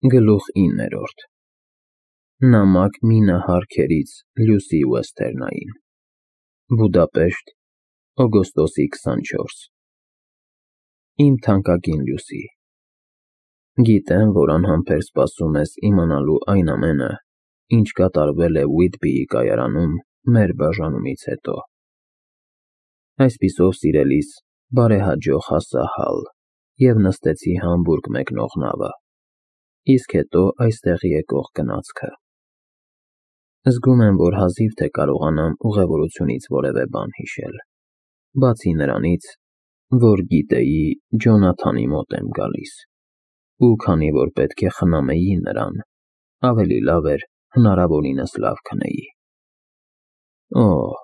Գլուխ 9 Նամակ Մինա Հարքերից Լյուսի Ուեսթերնային Բուդապեշտ, օգոստոսի 24 Իմ թանկագին Լյուսի, գիտեմ, որ անհամբեր սպասում ես իմանալու այն ամենը, ինչ կատարվել է Ուիթբիի կայարանում մեր բաժանումից հետո։ Այսպիսով, սիրելիս, բարեհաջող հասա Հալ և նստեցի Համբուրգ մեկնող նավը, իսկ հետո այստեղ եկող գնացքը։ Զգում եմ, որ հազիվ թե կարողանամ ուղևորությունից որևէ բան հիշել, բացի նրանից, որ գիտեի Ջոնաթանի մոտ եմ գալիս, ու քանի որ պետք է խնամեի նրան, ավելի լավ էր հնարավորինս լավ քնեի։ Օհ,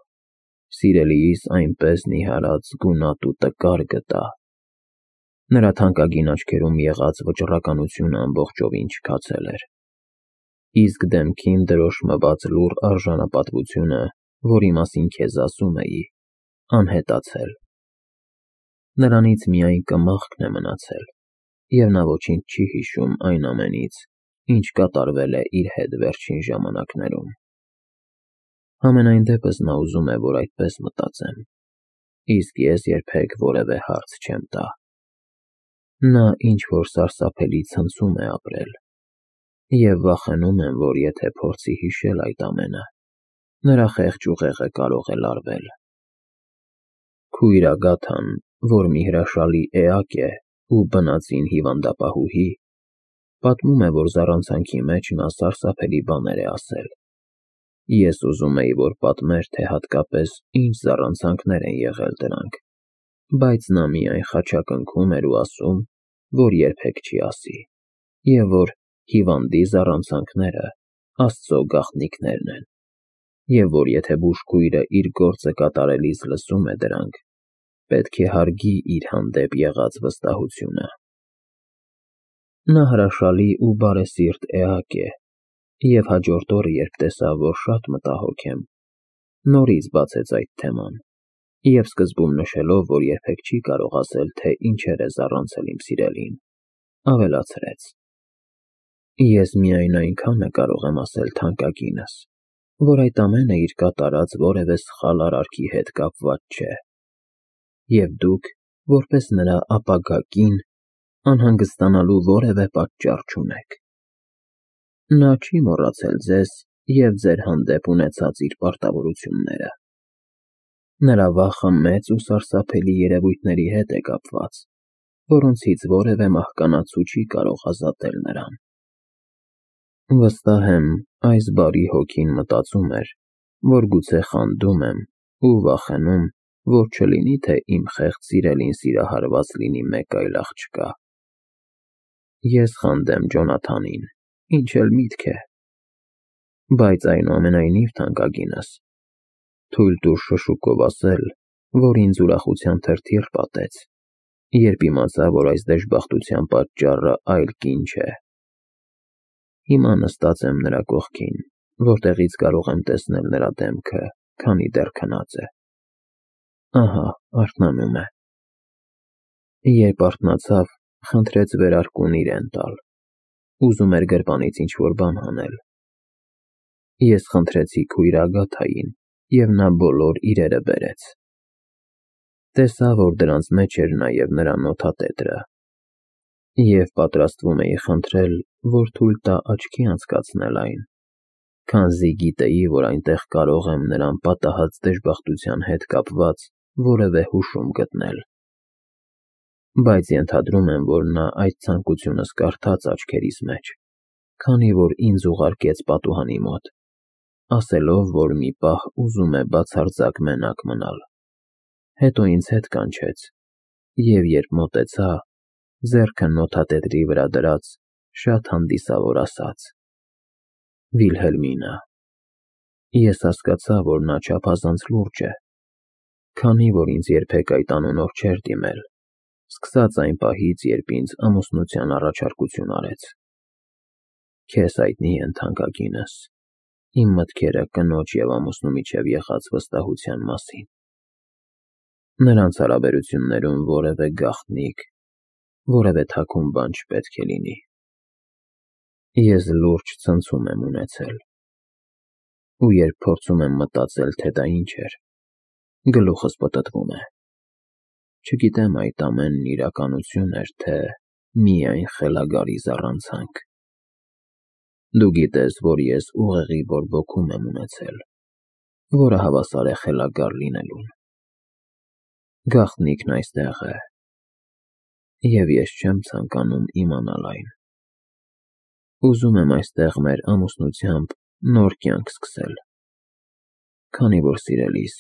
սիրելիիս այնպես նիհարած գունատ ու տկար գտա։ Նրա թանկագին աչքերում եղած վճռականությունը ամբողջովին չքացել էր, իսկ դեմքին դրոշմված լուռ արժանապատվությունը, որի մասին քեզ ասում էի, անհետացել։ Նրանից միայն կմախքն է մնացել, և նա ոչինչ չի հիշում այն ամենից, ինչ կատարվել է իր հետ վերջին ժամանակներում։ Համենայն դեպս նա ուզում է, որ այդպես մտածեմ, իսկ ես երբեք որևէ հարց չեմ տա։ Նա ինչ-որ սարսափելի ցնցում է ապրել, և վախենում եմ, որ եթե փորձի հիշել այդ ամենը, նրա խեղճ ուղեղը կարող է լարվել։ Քույր Ագաթան, որ մի հրաշալի էակ է ու բնածին հիվանդապահուհի, պատմում է, որ զառանցանքի մեջ նա սարսափելի բաներ է ասել։ Ես ուզում էի, որ պատմեր, թե հատկապես ինչ զառանցանքներ են եղել դրանք, բայց նա միայն խաչակնքում էր ու ասում, որ երբեք չի ասի, և որ հիվանդի զառանցանքները Աստծո գաղտնիքներն են, և որ եթե բուժքույրը իր գործը կատարելիս լսում է դրանք, պետք է հարգի իր հանդեպ եղած վստահությունը։ Նա հրաշալի ու բարեսիրտ էակ է, և հաջորդ օրը, երբ տեսավ, որ շատ մտահոգ եմ, նորից բացեց այդ թեման, և սկզբում նշելով, որ երբեք չի կարող ասել, թե ինչեր է զառանցել իմ սիրելին, ավելացրեց. Ես միայն այնքանը կարող եմ ասել թանկագինս, որ այդ ամենը իր կատարած որևէ սխալ արարքի հետ կապված չէ, և դուք, որպես նրա ապագա կին, անհանգստանալու որևէ պատճառ չունեք։ Նա չի մոռացել ձեզ և ձեր հանդեպ ունեցած իր պարտավորությունները։ Նրա վախը մեծ ու սարսափելի երևույթների հետ է կապված, որոնցից որևէ մահկանացու չի կարող ազատել նրան։ Վստահ եմ, այս բարի հոգին մտածում էր, որ գուցե խանդում եմ ու վախենում, որ չլինի, թե իմ խեղճ սիրելին սիրահարված լինի մեկ այլ աղջկա։ Ես խանդեմ Ջոնաթանին, ինչ էլ միտք է։ Բայց այնուամենայնիվ, թանկագինս, թույլ տուր շշուկով ասել, որ ինձ ուրախության թրթիռ պատեց, երբ իմացա, որ այս դժբախտության պատճառը այլ կին չէ։ Հիմա նստած եմ նրա կողքին, որտեղից կարող եմ տեսնել նրա դեմքը, քանի դեռ քնած է։ Ահա, արթնանում է։ Երբ արթնացավ, խնդրեց վերարկուն իրեն տալ, ուզում էր գրպանից ինչ-որ բան հանել։ Ես խնդրեցի քույր Ագաթային, և նա բոլոր իրերը բերեց։ Տեսա, որ դրանց մեջ էր նաև նրա նոթատետրը, և պատրաստվում էի խնդրել, որ թույլ տա աչքի անցկացնել այն, քանզի գիտեի, որ այնտեղ կարող եմ նրան պատահած դժբախտության հետ կապված որևէ հուշում գտնել։ Բայց ենթադրում եմ, որ նա այդ ցանկությունս կարդաց աչքերիս մեջ, քանի որ ինձ ուղարկեց պատուհանի մոտ, ասելով, որ մի պահ ուզում է բացարձակ մենակ մնալ, հետո ինձ հետ կանչեց, և երբ մոտեցա, ձեռքը նոթատետրի վրա դրած, շատ հանդիսավոր ասաց. Վիլհելմինա։ Ես հասկացա, որ նա չափազանց լուրջ է, քանի որ ինձ երբեք այդ անունով չէր դիմել, սկսած այն պահից, երբ ինձ ամուսնության առաջարկություն արեց։ Քեզ հայտնի են, թանկագինս, իմ մտքերը կնոջ և ամուսնու միջև եղած վստահության մասին։ Նրանց հարաբերություններում որևէ գաղտնիք, որևէ թաքուն բան չպետք է լինի։ Ես լուրջ ցնցում եմ ունեցել, ու երբ փորձում եմ մտածել, թե դա ինչ էր, գլուխս պտտվում է։ Չգիտեմ այդ ամենն իրականություն էր, թե միայն խելագարի զառանցանք։ Դու գիտես, որ ես ուղեղի բորբոքում եմ ունեցել, որը հավասար է խելագար լինելուն։ Գաղտնիքն այստեղ է, և ես չեմ ցանկանում իմանալ այն։ Ուզում եմ այստեղ մեր ամուսնությամբ նոր կյանք սկսել, քանի որ, սիրելիս,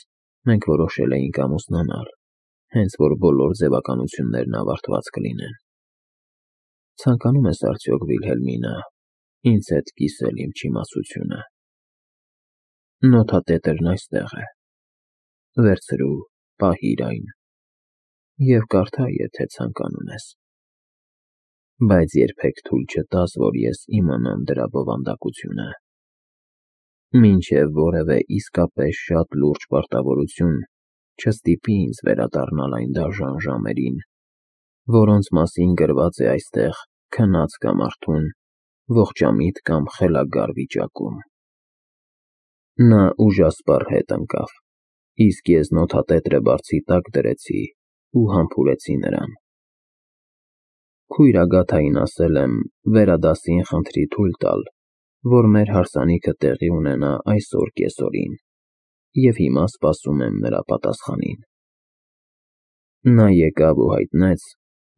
մենք որոշել էինք ամուսնանալ, հենց որ բոլոր ձևականություններն ավարտված կլինեն։ Ցանկանում ես արդյոք, Վիլհելմինա, ինձ հետ կիսել իմ չիմացությունը։ Նոթատետրն այստեղ է, վերցրու, պահիր այն և կարդա, եթե ցանկանում ես, բայց երբեք թույլ չտաս, որ ես իմանամ դրա բովանդակությունը։ Մինչև որևէ իսկապես շատ լուրջ պարտավորություն չստիպի ինձ վերադառնալ այն դաժան ժամերին, որոնց մասին գրված է այստեղ քնած կամ արթուն, ողջամիտ կամ խելագար վիճակում։ Նա ուժասպառ հետ ընկավ, իսկ ես նոթատետրը բարձի տակ դրեցի ու համբուրեցի նրան։ Քույրագաթային ասել եմ վերադասին խնդրի թույլ տալ, որ մեր հարսանիքը տեղի ունենա այսօր կեսօրին, և հիմա սպասում եմ նրա պատասխանին։ Նա եկավ ու հայտնեց,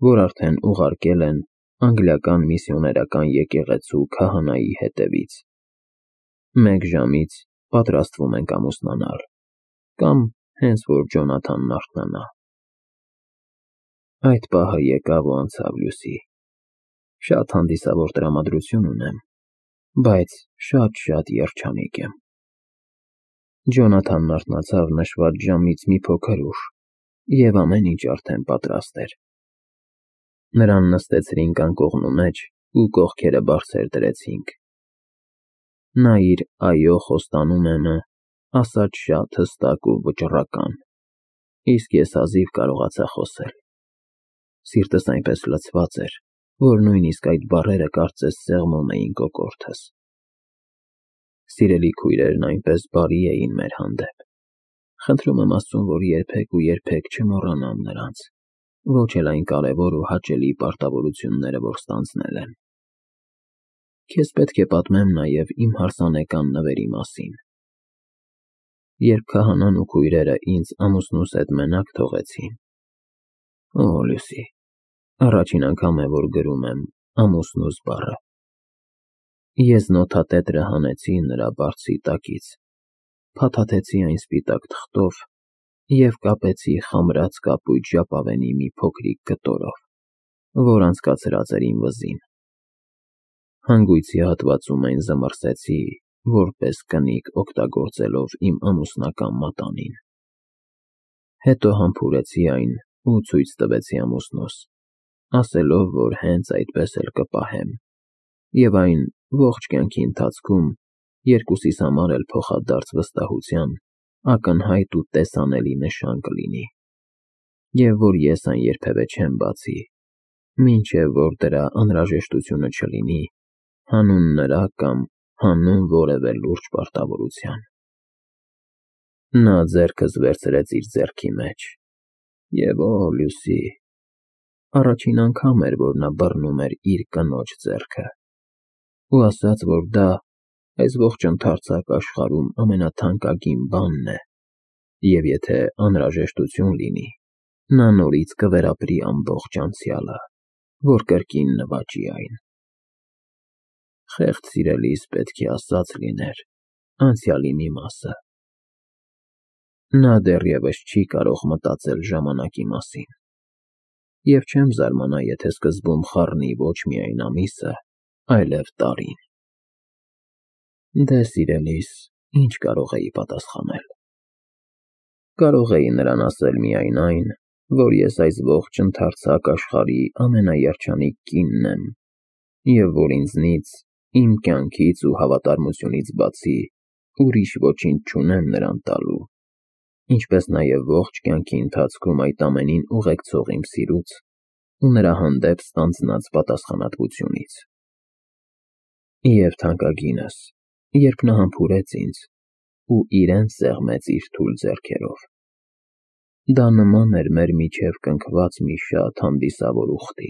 որ արդեն ուղարկել են անգլիական միսիոներական եկեղեցու քահանայի հետևից։ 1 ժամից պատրաստվում ենք ամուսնանալ, կամ հենց որ Ջոնաթանն արթնանա։ Այդ պահը եկավ ու անցավ, Լուսի։ Շատ հանդիսավոր տրամադրություն ունեմ, բայց շատ երջանիկ եմ։ Ջոնաթանն արթնացավ նշված ժամից մի փոքր ուշ, և ամեն ինչ արդեն պատրաստ էր։ Նրան նստեցրինք անկողնու մեջ ու կողքերը բարձր դրեցինք։ Նա իր «այո» խոստանում եմ ասաց շատ հստակ ու վճռական, իսկ ես հազիվ կարողացա խոսել։ Սիրտս այնպես լցված էր, որ նույնիսկ այդ բառերը կարծես սեղմում էին կոկորդս։ Սիրելի քույրերն այնպես բարի էին մեր հանդեպ։ Խնդրում եմ Աստծուն, որ երբեք չմոռանամ նրանց, ոչ էլ այն կարևոր ու հաճելի պարտավորությունները, որ ստանձնել են։ Քեզ պետք է պատմեմ նաև իմ հարսանեկան նվերի մասին։ Երբ քահանան ու քույրերը ինձ ամուսնուս հետ մենակ թողեցին, օ, Լուսի, առաջին անգամ է, որ գրում եմ ամուսնուս բառը։ Ես նոթատետրը հանեցի նրա բարձի տակից, փաթաթեցի այն սպիտակ թղթով և կապեցի խամրած կապույտ ժապավենի մի փոքրիկ կտորով, որ անցկացրած էր իմ վզին։ Հանգույցի հատվածում այն զմռսեցի, որպես կնիկ օգտագործելով իմ ամուսնական մատանին։ Հետո համբուրեցի այն ու ցույց տվեցի ամուսնուս, ասելով, որ հենց այդպես էլ կպահեմ, և այն ողջ կյանքի ընթացքում երկուսիս համար էլ փոխադարձ վստահության ակնհայտ ու տեսանելի նշան կլինի, և որ ես այն երբևէ չեմ բացի, մինչև որ դրա անհրաժեշտությունը չլինի հանուն նրա կամ հանուն որևէ լուրջ պարտավորության։ Նա ձեռքս վերցրեց իր ձեռքի մեջ, և օ, Լուսի, առաջին անգամ էր, որ նա բռնում էր իր կնոջ ձեռքը, ու ասաց, որ դա այս ողջ ընդարձակ աշխարհում ամենաթանկագին բանն է, և եթե անհրաժեշտություն լինի, նա նորից կվերապրի ամբողջ անցյալը, որ կրկին նվաճի այն։ Խեղճ սիրելիս պետք է ասած լիներ անցյալի մի մասը։ Նա դեռևս չի կարող մտածել ժամանակի մասին, և չեմ զարմանա, եթե սկզբում խառնի ոչ միայն ամիսը, այլև տարին։ Դե, սիրելիս, ինչ կարող էի պատասխանել։ Կարող էի նրան ասել միայն այն, որ ես այս ողջ ընդարձակ աշխարհի ամենաերջանիկ կինն եմ, և որ ինձնից, իմ կյանքից ու հավատարմությունից բացի ուրիշ ոչինչ չունեմ նրան տալու, ինչպես նաև ողջ կյանքի ընթացքում այդ ամենին ուղեկցող իմ սիրուց ու նրա հանդեպ ստանձնած պատասխանատվությունից։ Եվ թանկագինս, երբ նա համբուրեց ինձ ու իրեն սեղմեց իր թույլ ձեռքերով, դա նման էր մեր միջև կնքված մի շատ հանդիսավոր ուխտի։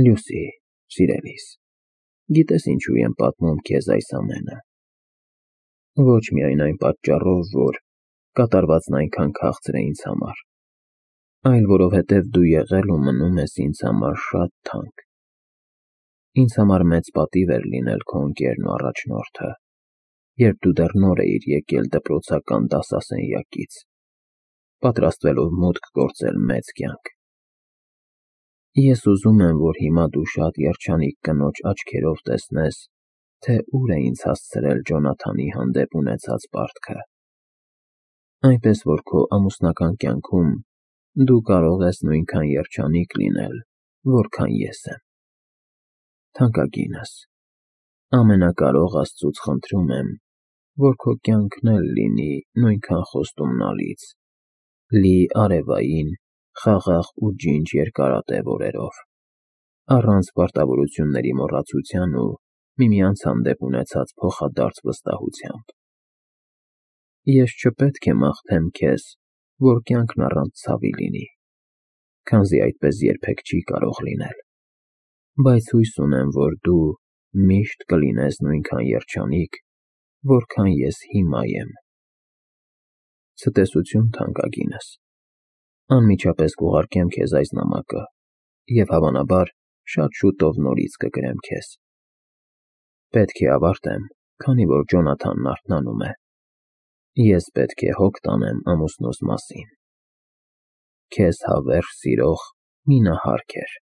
Լյուսի, սիրելիս, գիտես ինչու եմ պատմում քեզ այս ամենը։ Ոչ միայն այն պատճառով, որ կատարվածն այնքան քաղցր է ինձ համար, այլ որովհետև դու եղել ու մնում ես ինձ համար շատ թանկ։ Ինձ համար մեծ պատիվ էր լինել քո ընկերն ու առաջնորդը, երբ դու դեռ նոր էիր եկել դպրոցական դասասենյակից, պատրաստվելով մուտք գործել մեծ կյանք։ Ես ուզում եմ, որ հիմա դու շատ երջանիկ կնոջ աչքերով տեսնես, թե ուր է ինձ հասցրել Ջոնաթանի հանդեպ ունեցած պարտքը, այնպես որ քո ամուսնական կյանքում դու կարող ես նույնքան երջանիկ լինել, որքան ես եմ։ Թանկագինս, ամենակարող Աստծուց խնդրում եմ, որ քո կյանքն էլ լինի նույնքան խոստումնալից, լի արևային, խաղաղ ու ջինջ երկարատև օրերով, առանց պարտավորությունների մոռացության ու միմյանց հանդեպ ունեցած փոխադարձ վստահությամբ։ Ես չպետք է մաղթեմ քեզ, որ կյանքն առանց ցավի լինի, քանզի այդպես երբեք չի կարող լինել, բայց հույս ունեմ, որ դու միշտ կլինես նույնքան երջանիկ, որքան ես հիմա եմ։ Ցտեսություն, թանկագինս, անմիջապես կուղարկեմ քեզ այս նամակը և հավանաբար շատ շուտով նորից կգրեմ քեզ։ Պետք է ավարտեմ, քանի որ Ջոնաթանն արթնանում է։ Ես պետք է հոգ տանեմ ամուսնուս մասին։ Քեզ հավերժ սիրող Մինա Հարքեր։